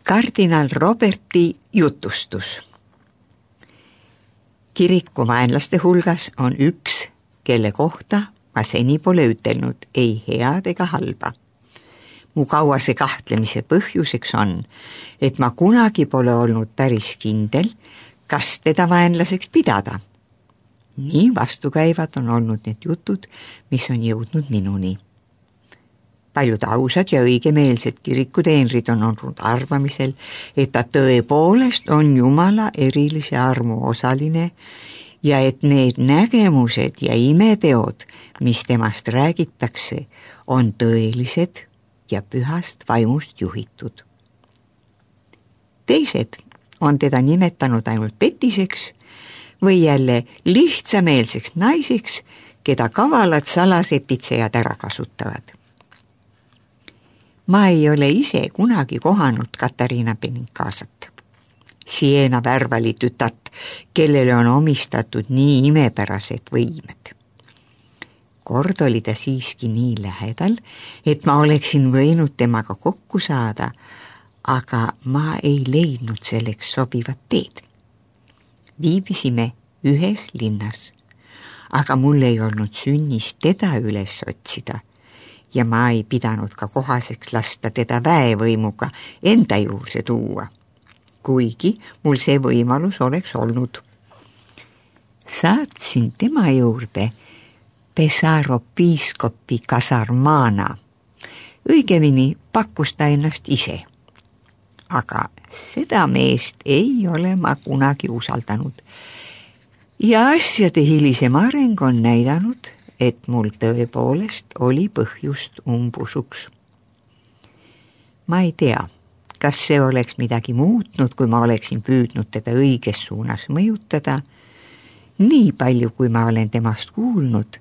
Kardinal Roberti jutustus. Kirikuvaenlaste hulgas on üks, kelle kohta ma seni pole ütelnud ei head ega halba. Mu kauase kahtlemise põhjuseks on, et ma kunagi pole olnud päris kindel, kas teda vaenlaseks pidada. Nii vastukäivad on olnud need jutud, mis on jõudnud minuni. Paljud ausad ja õigemeelsed kirikuteenrid on olnud arvamisel, et ta tõepoolest on Jumala erilise armu osaline ja et need nägemused ja imeteod, mis temast räägitakse, on tõelised ja pühast vaimust juhitud. Teised on teda nimetanud ainult petiseks või jälle lihtsameelseks naiseks, keda kavalad salasepitsejad ära kasutavad. Ma ei ole ise kunagi kohanud Katariina Benincasat, Siena värvali tütart, kellele on omistatud nii imepärased võimed. Kord oli ta siiski nii lähedal, et ma oleksin võinud temaga kokku saada, aga ma ei leidnud selleks sobivat teed. Viibisime ühes linnas, aga mul ei olnud sünnist teda üles otsida ja ma ei pidanud ka kohaseks lasta teda väevõimuga enda juurde tuua, kuigi mul see võimalus oleks olnud. Saatsin tema juurde Pesaro piiskopi Casarmana, õigemini pakkus ta ennast ise, aga seda meest ei ole ma kunagi usaldanud ja asjade hilisem areng on näidanud, et mul tõepoolest oli põhjust umbusuks. Ma ei tea, kas see oleks midagi muutnud, kui ma oleksin püüdnud teda õiges suunas mõjutada. Nii palju, kui ma olen temast kuulnud,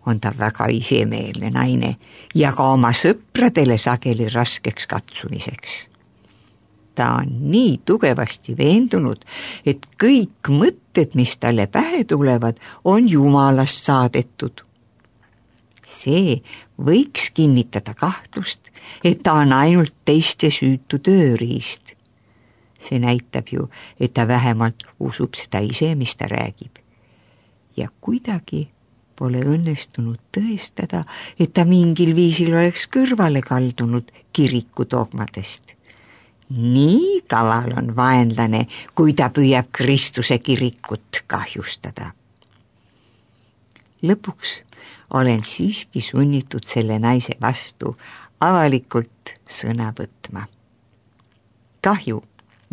on ta väga isemeelne naine ja ka oma sõpradele sageli raskeks katsumiseks. Ta on nii tugevasti veendunud, et kõik mõtted, mis talle pähe tulevad, on Jumalast saadetud. See võiks kinnitada kahtlust, et ta on ainult teiste süütu tööriist. See näitab ju, et ta vähemalt usub seda ise, mis ta räägib. Ja kuidagi pole õnnestunud tõestada, et ta mingil viisil oleks kõrvale kaldunud kiriku dogmadest. Nii kaval on vaenlane, kui ta püüab Kristuse kirikut kahjustada. Lõpuks olen siiski sunnitud selle naise vastu avalikult sõna võtma. Kahju,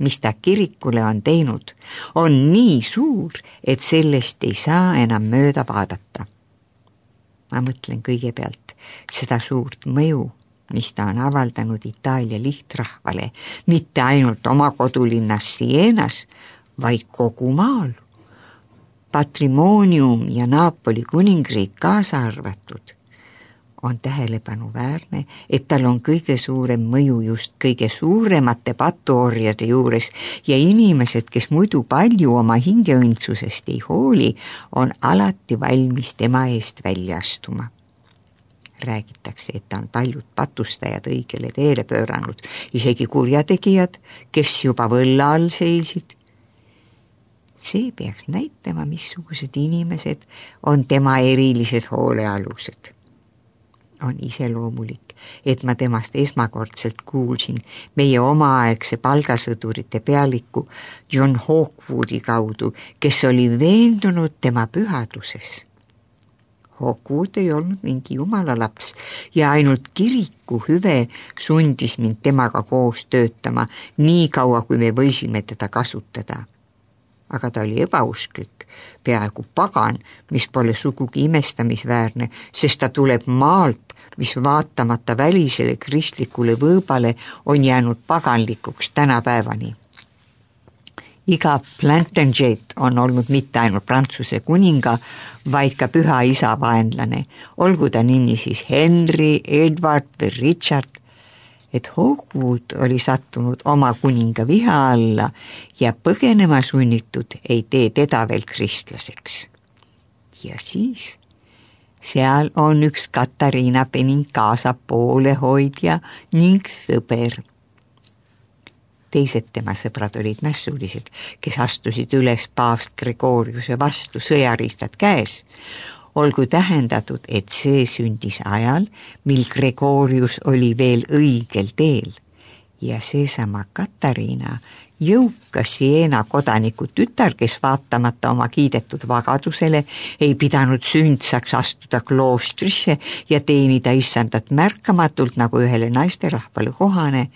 mis ta kirikule on teinud, on nii suur, et sellest ei saa enam mööda vaadata. Ma mõtlen kõigepealt seda suurt mõju, mis ta on avaldanud Itaalia lihtrahvale, mitte ainult oma kodulinnas Sienas, vaid kogu maal. Patrimoonium ja Napoli kuningriik kaasa arvatud. On tähelepanuväärne, et tal on kõige suurem mõju just kõige suuremate patuorjade juures ja inimesed, kes muidu palju oma hingeõndsusest ei hooli, on alati valmis tema eest välja astuma. Räägitakse, et ta on paljud patustajad õigele teele pööranud, isegi kurjategijad, kes juba võlla all seisid. See peaks näitama, missugused inimesed on tema erilised hoolealused. On iseloomulik, et ma temast esmakordselt kuulsin meie omaaegse palgasõdurite pealiku John Hawkwoodi kaudu, kes oli veendunud tema pühaduses. Hawkwood ei olnud mingi jumala laps ja ainult kiriku hüve sundis mind temaga koos töötama nii kaua, kui me võisime teda kasutada. Aga ta oli ebausklik, peaaegu pagan, mis pole sugugi imestamisväärne, sest ta tuleb maalt, mis vaatamata välisele kristlikule võõbale on jäänud paganlikuks tänapäevani. Iga Plantagenet on olnud mitte ainult Prantsuse kuninga, vaid ka püha isa vaenlane, olgu ta nimi siis Henry, Edward või Richard, et Hawkwood oli sattunud oma kuninga viha alla ja põgenema sunnitud ei tee teda veel kristlaseks. Ja siis seal on üks Katariina Benincasa poolehoidja ning sõber. Teised tema sõbrad olid mässulised, kes astusid üles paavst Gregoriuse vastu sõjariistad käes. Olgu tähendatud, et see sündis ajal, mil Gregorius oli veel õigel teel ja seesama Katariina, jõukas Siena kodaniku tütar, kes vaatamata oma kiidetud vagadusele ei pidanud sündsaks astuda kloostrisse ja teenida issandat märkamatult nagu ühele naisterahvale kohane,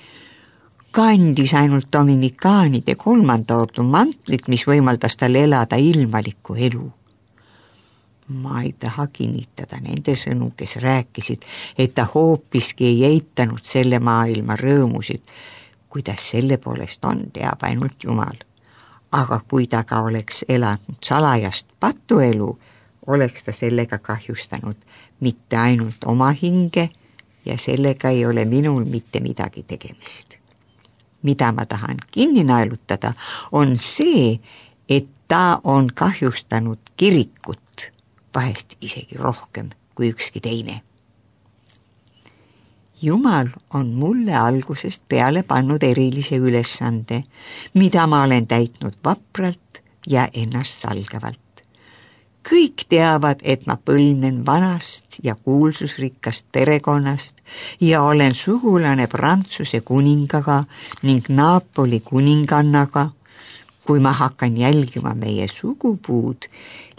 kandis ainult dominikaanide 3. ordu mantlit, mis võimaldas tal elada ilmalikku elu. Ma ei taha kinnitada nende sõnu, kes rääkisid, et ta hoopiski ei eitanud selle maailma rõõmusid. Kuidas selle poolest on, teab ainult Jumal. Aga kui ta ka oleks elanud salajast patuelu, oleks ta sellega kahjustanud mitte ainult oma hinge ja sellega ei ole minul mitte midagi tegemist. Mida ma tahan kinni naelutada, on see, et ta on kahjustanud kirikut, vahest isegi rohkem kui ükski teine. Jumal on mulle algusest peale pannud erilise ülesande, mida ma olen täitnud vapralt ja ennast salgavalt. Kõik teavad, et ma põlvnen vanast ja kuulsusrikkast perekonnast ja olen sugulane Prantsuse kuningaga ning Napoli kuningannaga. Kui ma hakkan jälgima meie sugupuud,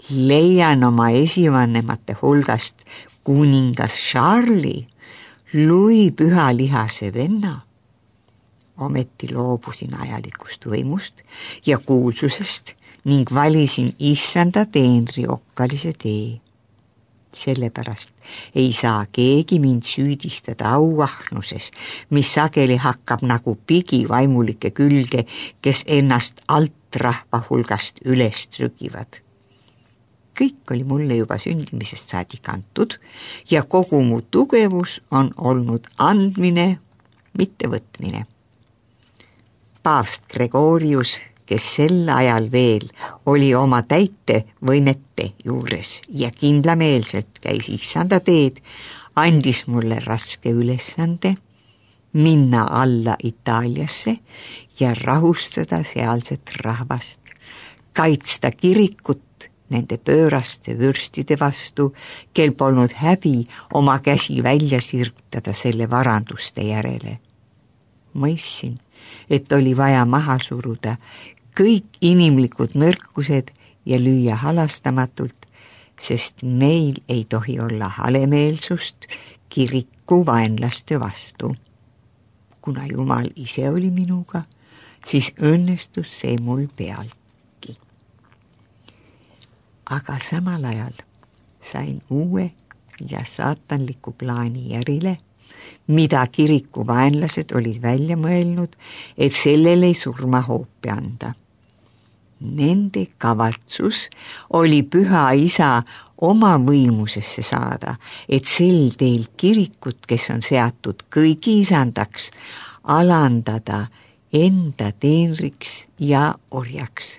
leian oma esivanemate hulgast kuningas Charlie, Louis pühalihase venna. Ometi loobusin ajalikust võimust ja kuulsusest ning valisin issanda teenri okkalise tee. Sellepärast ei saa keegi mind süüdistada auahnuses, mis sageli hakkab nagu pigi vaimulike külge, kes ennast alt rahva hulgast üles trügivad. Kõik oli mulle juba sündimisest saadik antud ja kogu mu tugevus on olnud andmine, mitte võtmine. Paavst Gregorius, kes sel ajal veel oli oma täitevõimete juures ja kindlameelselt käis issanda teed, andis mulle raske ülesande minna alla Itaaliasse ja rahustada sealset rahvast, kaitsta kirikut nende pööraste vürstide vastu, kel polnud häbi oma käsi välja sirgutada selle varanduste järele. Mõistsin, et oli vaja maha suruda kõik inimlikud nõrkused ja lüüa halastamatult, sest meil ei tohi olla halemeelsust kiriku vaenlaste vastu. Kuna Jumal ise oli minuga, siis õnnestus see mul pealt. Aga samal ajal sain uue ja saatanliku plaani järile, mida kiriku vaenlased olid välja mõelnud, et sellele surmahoopi anda. Nende kavatsus oli Püha Isa oma võimusesse saada, et sel teel kirikut, kes on seatud kõigi isandaks, alandada enda teenriks ja orjaks.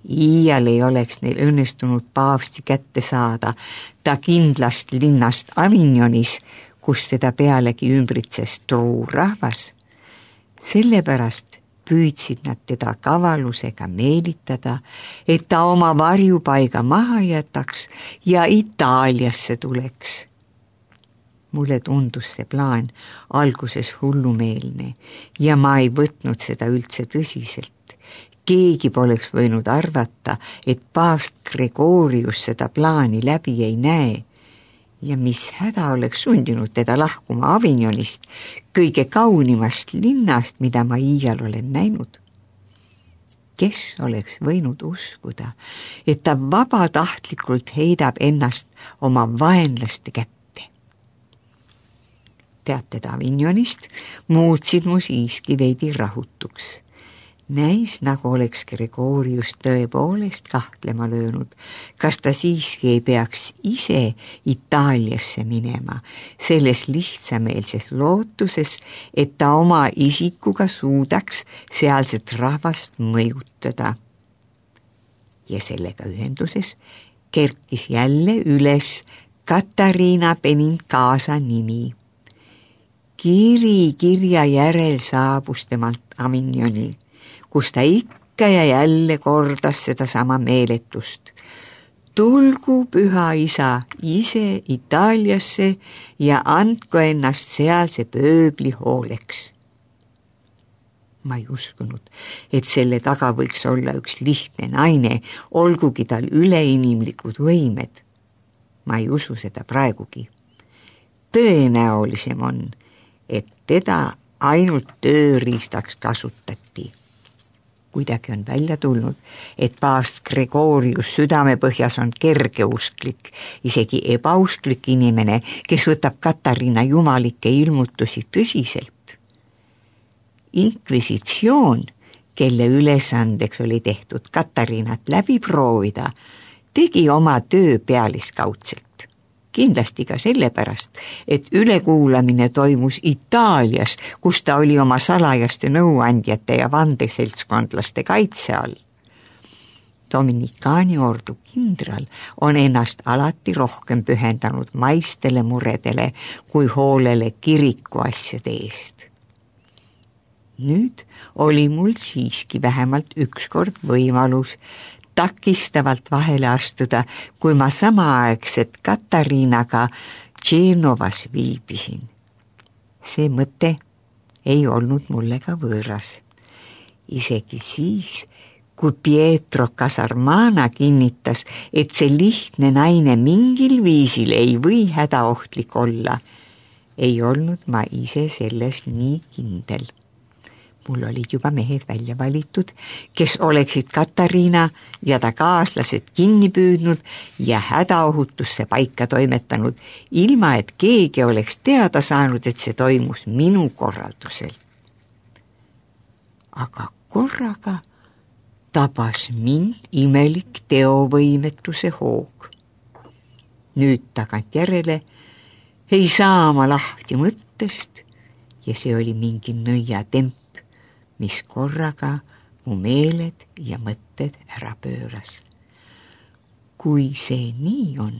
Iial ei oleks neil õnnestunud paavsti kätte saada ta kindlast linnast Avignonis, kus teda pealegi ümbritses truu rahvas. Sellepärast püüdsid nad teda kavalusega meelitada, et ta oma varjupaiga maha jätaks ja Itaaliasse tuleks. Mulle tundus see plaan alguses hullumeelne ja ma ei võtnud seda üldse tõsiselt. Keegi poleks võinud arvata, et paavst Gregorius seda plaani läbi ei näe ja mis häda oleks sundinud teda lahkuma Avignonist, kõige kaunimast linnast, mida ma iial olen näinud. Kes oleks võinud uskuda, et ta vabatahtlikult heidab ennast oma vaenlaste kätte? Teated Avignonist muutsid mu siiski veidi rahutuks. Näis, nagu oleks Gregorius tõepoolest kahtlema löönud, kas ta siiski ei peaks ise Itaaliasse minema, selles lihtsameelses lootuses, et ta oma isikuga suudaks sealset rahvast mõjutada. Ja sellega ühenduses kerkis jälle üles Katariina Benincasa nimi. kiri kirja järel saabus temalt Avignoni, kus ta ikka ja jälle kordas sedasama meeletust. Tulgu Püha Isa ise Itaaliasse ja andku ennast sealse pööbli hooleks. Ma ei uskunud, et selle taga võiks olla üks lihtne naine, olgugi tal üleinimlikud võimed. Ma ei usu seda praegugi. Tõenäolisem on, et teda ainult tööriistaks kasutati. Kuidagi on välja tulnud, et paavst Gregorius südamepõhjas on kergeusklik, isegi ebausklik inimene, kes võtab Katariina jumalikke ilmutusi tõsiselt. Inkvisitsioon, kelle ülesandeks oli tehtud Katariinat läbi proovida, tegi oma töö pealiskaudselt. Kindlasti ka sellepärast, et ülekuulamine toimus Itaalias, kus ta oli oma salajaste nõuandjate ja vandeseltskondlaste kaitse all. Dominikaani ordu kindral on ennast alati rohkem pühendanud maistele muredele kui hoolele kiriku asjade eest. Nüüd oli mul siiski vähemalt ükskord võimalus takistavalt vahele astuda, kui ma samaaegselt Katariinaga Genovas viibisin. See mõte ei olnud mulle ka võõras. Isegi siis, kui Pietro Casarmana kinnitas, et see lihtne naine mingil viisil ei või hädaohtlik olla, ei olnud ma ise selles nii kindel. Mul olid juba mehed välja valitud, kes oleksid Katariina ja ta kaaslased kinni püüdnud ja hädaohutusse paika toimetanud, ilma et keegi oleks teada saanud, et see toimus minu korraldusel. Aga korraga tabas mind imelik teovõimetuse hoog. Nüüd tagantjärele ei saa ma lahti mõttest ja see oli mingi nõiatemp, mis korraga mu meeled ja mõtted ära pööras. Kui see nii on,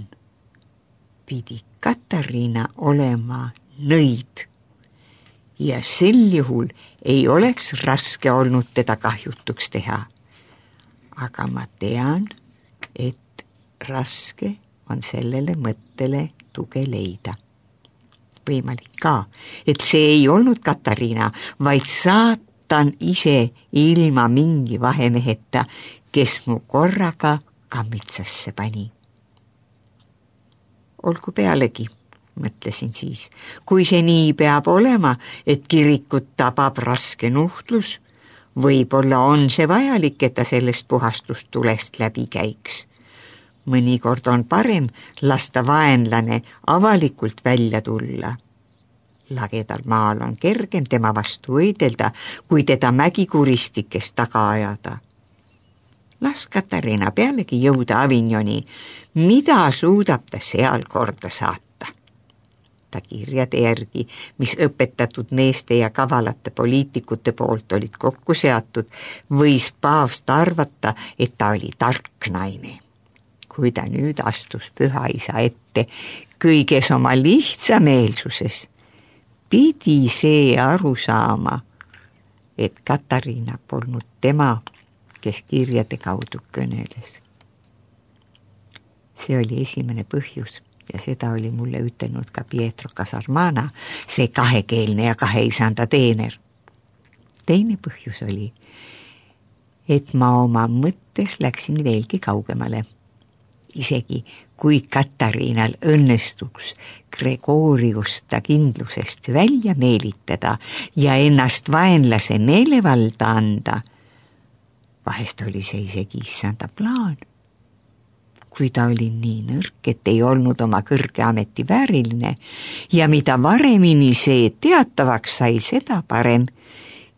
pidi Katariina olema nõid ja sel juhul ei oleks raske olnud teda kahjutuks teha. Aga ma tean, et raske on sellele mõttele tuge leida. Võimalik ka, et see ei olnud Katariina, vaid saatan ise ilma mingi vahemeheta, kes mu korraga kammitsasse pani. Olgu pealegi, mõtlesin siis, kui see nii peab olema, et kirikut tabab raske nuhtlus, võib-olla on see vajalik, et ta sellest puhastustulest läbi käiks. Mõnikord on parem lasta vaenlane avalikult välja tulla. Lagedal maal on kergem tema vastu võidelda, kui teda mägikuristikest taga ajada. Las Katariina pealegi jõuda Avignoni, mida suudab ta seal korda saata. Ta kirjade järgi, mis õpetatud meeste ja kavalate poliitikute poolt olid kokku seatud, võis paavst arvata, et ta oli tark naine. Kui ta nüüd astus Püha Isa ette kõiges oma lihtsameelsuses, pidi see aru saama, et Katariina polnud tema, kes kirjade kaudu kõneles. See oli esimene põhjus ja seda oli mulle ütelnud ka Pietro Casarmana, see kahekeelne ja kaheisanda teener. Teine põhjus oli, et ma oma mõttes läksin veelgi kaugemale. Isegi kui Katariinal õnnestuks Gregoriusta kindlusest välja meelitada ja ennast vaenlase meelevalda anda, vahest oli see isegi issanda plaan. Kui ta oli nii nõrk, et ei olnud oma kõrge ameti vääriline ja mida varemini see teatavaks sai, seda parem.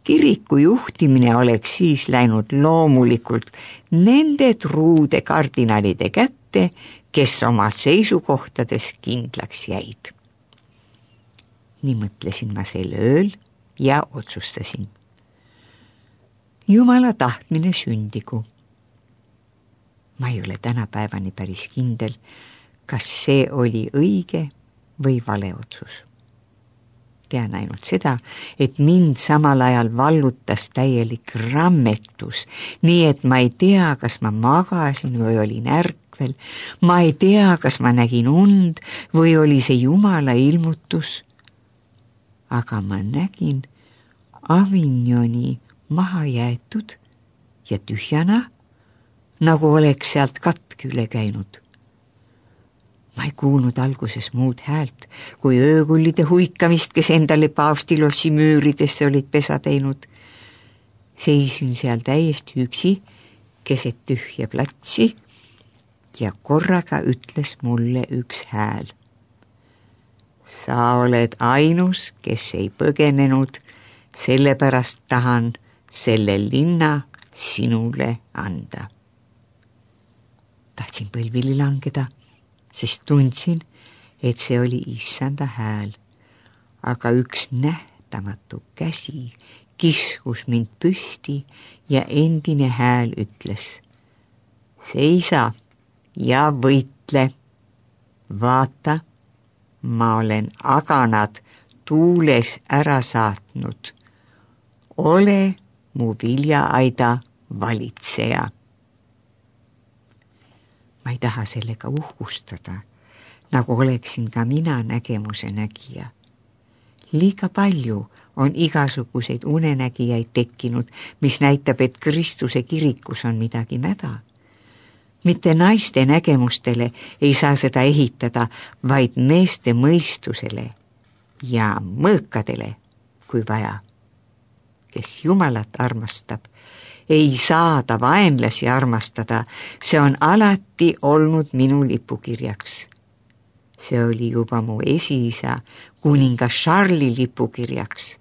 Kiriku juhtimine oleks siis läinud loomulikult nende truude kardinalide kätte, kes oma seisukohtades kindlaks jäid. Nii mõtlesin ma sel ööl ja otsustasin. Jumala tahtmine sündigu. Ma ei ole tänapäevani päris kindel, kas see oli õige või vale otsus. Tean ainult seda, et mind samal ajal vallutas täielik rammetus, nii et ma ei tea, kas ma magasin või olin ärkvel, ma ei tea, kas ma nägin und või oli see Jumala ilmutus, aga ma nägin Avignoni maha jäetud ja tühjana, nagu oleks sealt katk üle käinud. Ma ei kuulnud alguses muud häält, kui öökullide huikamist, kes endale paavstilossi müüridesse olid pesa teinud. Seisin seal täiesti üksi, keset tühja platsi ja korraga ütles mulle üks hääl. Sa oled ainus, kes ei põgenenud, sellepärast tahan selle linna sinule anda. Tahtsin põlvili langeda, sest tundsin, et see oli issanda hääl, aga üks nähtamatu käsi kiskus mind püsti ja endine hääl ütles: seisa ja võitle. Vaata, ma olen aganad tuules ära saatnud. Ole mu viljaaida valitseja. Ma ei taha sellega uhkustada, nagu oleksin ka mina nägemuse nägija. Liiga palju on igasuguseid unenägijaid tekkinud, mis näitab, et Kristuse kirikus on midagi mäda. Mitte naiste nägemustele ei saa seda ehitada, vaid meeste mõistusele ja mõõkadele, kui vaja. Kes Jumalat armastab, ei saa ta vaenlasi armastada, see on alati olnud minu lipukirjaks. See oli juba mu esiisa kuningas Charlesi lipukirjaks.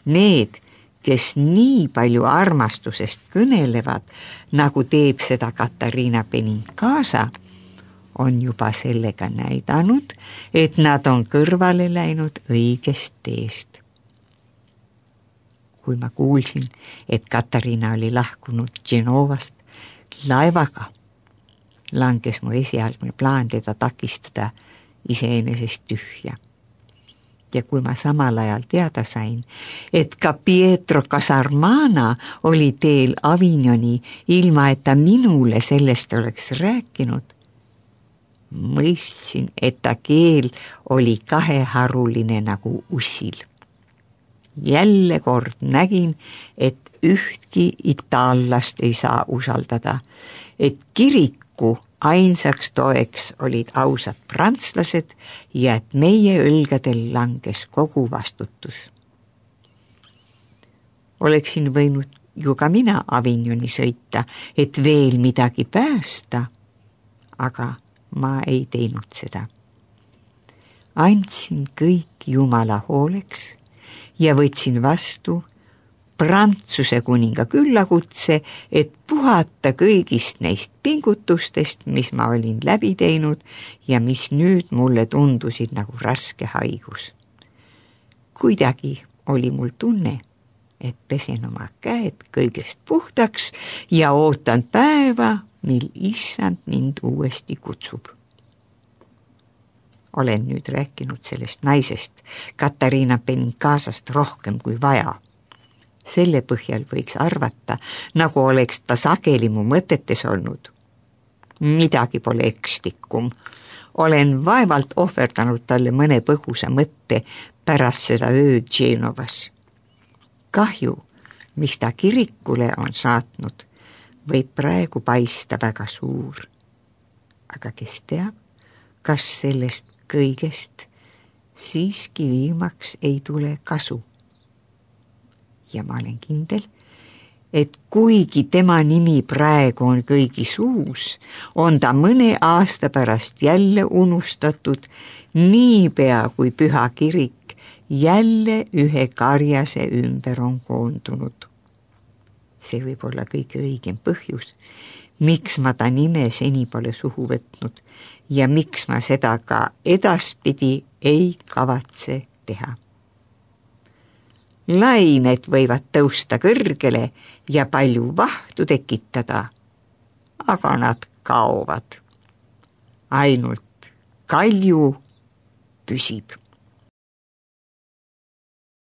Need, kes nii palju armastusest kõnelevad, nagu teeb seda Katariina Benincasa, on juba sellega näidanud, et nad on kõrvale läinud õigest teest. Kui ma kuulsin, et Katariina oli lahkunud Genovast laevaga, langes mu esialgne plaan teda takistada iseenesest tühja. Ja kui ma samal ajal teada sain, et ka Pietro Casarmana oli teel Avignoni, ilma et ta minule sellest oleks rääkinud, mõistsin, et ta keel oli kaheharuline nagu ussil. Jälle kord nägin, et ühtki itaallast ei saa usaldada, et kiriku ainsaks toeks olid ausad prantslased ja et meie õlgadel langes kogu vastutus. Oleksin võinud ju ka mina Avignoni sõita, et veel midagi päästa, aga ma ei teinud seda. Andsin kõik Jumala hooleks ja võtsin vastu Prantsuse kuninga küllakutse, et puhata kõigist neist pingutustest, mis ma olin läbi teinud ja mis nüüd mulle tundusid nagu raske haigus. Kuidagi oli mul tunne, et pesen oma käed kõigest puhtaks ja ootan päeva, mil issand mind uuesti kutsub. Olen nüüd rääkinud sellest naisest, Katariina Benincasast rohkem kui vaja. Selle põhjal võiks arvata, nagu oleks ta sageli mu mõtetes olnud. Midagi pole ekslikum. Olen vaevalt ohverdanud talle mõne põgusa mõtte pärast seda ööd Genovas. Kahju, mis ta kirikule on saatnud, võib praegu paista väga suur. Aga kes teab, kas sellest kõigest siiski viimaks ei tule kasu. Ja ma olen kindel, et kuigi tema nimi praegu on kõigi suus, on ta mõne aasta pärast jälle unustatud, niipea kui püha kirik jälle ühe karjase ümber on koondunud. See võib olla kõige õigem põhjus, miks ma ta nime seni pole suhu võtnud ja miks ma seda ka edaspidi ei kavatse teha. Lained võivad tõusta kõrgele ja palju vahtu tekitada, aga nad kaovad. Ainult kalju püsib.